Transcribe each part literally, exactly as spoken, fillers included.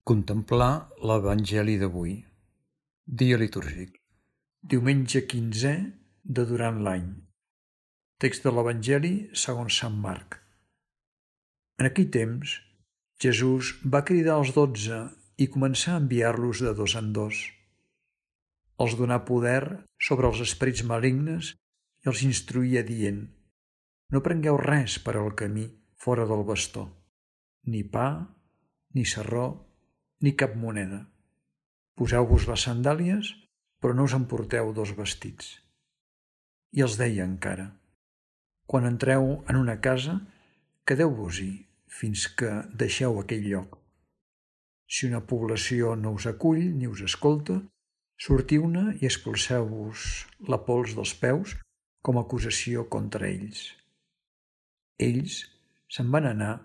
Contemplar l'Evangeli d'avui. Dia litúrgic. Diumenge quinzè de durant l'any. Text de l'Evangeli segons Sant Marc. En aquell temps, Jesús va cridar als dotze i començar a enviar-los de dos en dos. Els donà poder sobre els esperits malignes i els instruïa dient: no prengueu res per al camí fora del bastó, ni pa, ni sarró, ni cap moneda. Poseu-vos les sandàlies, però no us emporteu dos vestits. I els deia encara: quan entreu en una casa, quedeu-vos-hi fins que deixeu aquell lloc. Si una població no us acull ni us escolta, sortiu-ne i expulseu-vos la pols dels peus com a acusació contra ells. Ells se'n van anar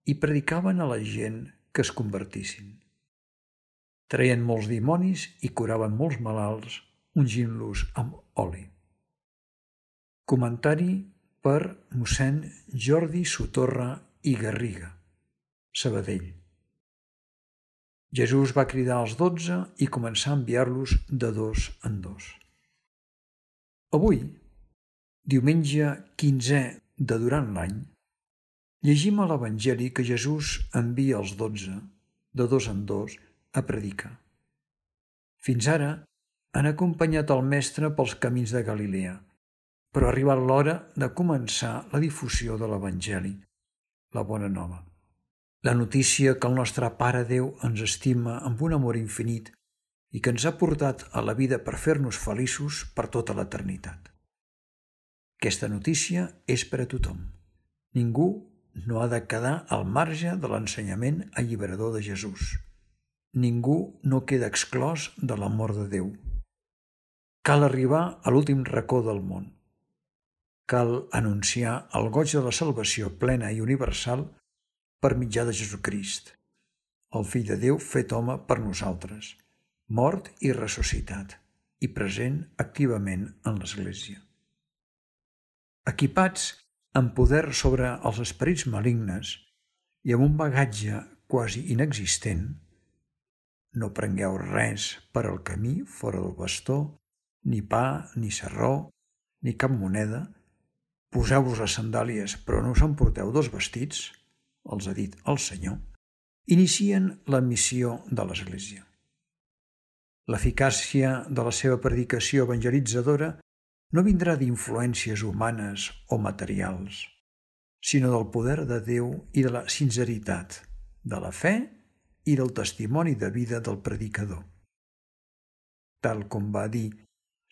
i predicaven a la gent que es convertissin. Treien molts dimonis i curaven molts malalts, ungint-los amb oli. Comentari per mossèn Jordi Sotorra i Garriga, Sabadell. Jesús va cridar als dotze i començar a enviar-los de dos en dos. Avui, diumenge quinzè de durant l'any, llegim a l'Evangeli que Jesús envia els dotze, de dos en dos, a predicar. Fins ara han acompanyat el Mestre pels camins de Galilea, però ha arribat l'hora de començar la difusió de l'Evangeli, la bona nova. La notícia que el nostre Pare Déu ens estima amb un amor infinit i que ens ha portat a la vida per fer-nos feliços per tota l'eternitat. Aquesta notícia és per a tothom. Ningú no ha de quedar al marge de l'ensenyament alliberador de Jesús. Ningú no queda exclòs de l'amor de Déu. Cal arribar a l'últim racó del món. Cal anunciar el goig de la salvació plena i universal per mitjà de Jesucrist, el Fill de Déu fet home per nosaltres, mort i ressuscitat, i present activament en l'Església. Equipats amb poder sobre els esperits malignes i amb un bagatge quasi inexistent, no prengueu res per al camí fora del bastó, ni pa, ni sarró, ni cap moneda. Poseu-vos les sandàlies, però no us emporteu dos vestits, els ha dit el Senyor. Inicien la missió de l'Església. L'eficàcia de la seva predicació evangelitzadora no vindrà d'influències humanes o materials, sinó del poder de Déu i de la sinceritat, de la fe i del testimoni de vida del predicador. Tal com va dir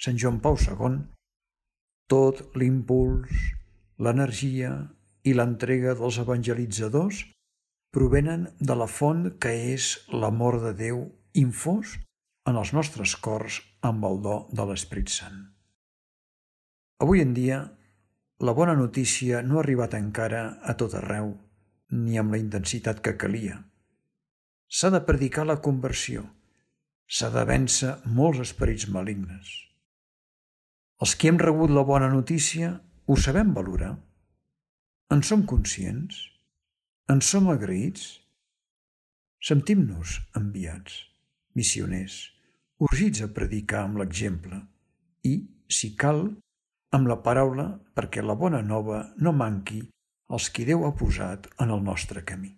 Sant Joan Pau segon, tot l'impuls, l'energia i l'entrega dels evangelitzadors provenen de la font que és l'amor de Déu infós en els nostres cors amb el do de l'Esperit Sant. Avui en dia, la bona notícia no ha arribat encara a tot arreu, ni amb la intensitat que calia. S'ha de predicar la conversió, s'ha de vèncer molts esperits malignes. Els que hem rebut la bona notícia ho sabem valorar? En som conscients? En som agraïts? Sentim-nos enviats, missioners, urgits a predicar amb l'exemple i, si cal, amb la paraula perquè la bona nova no manqui als qui Déu ha posat en el nostre camí.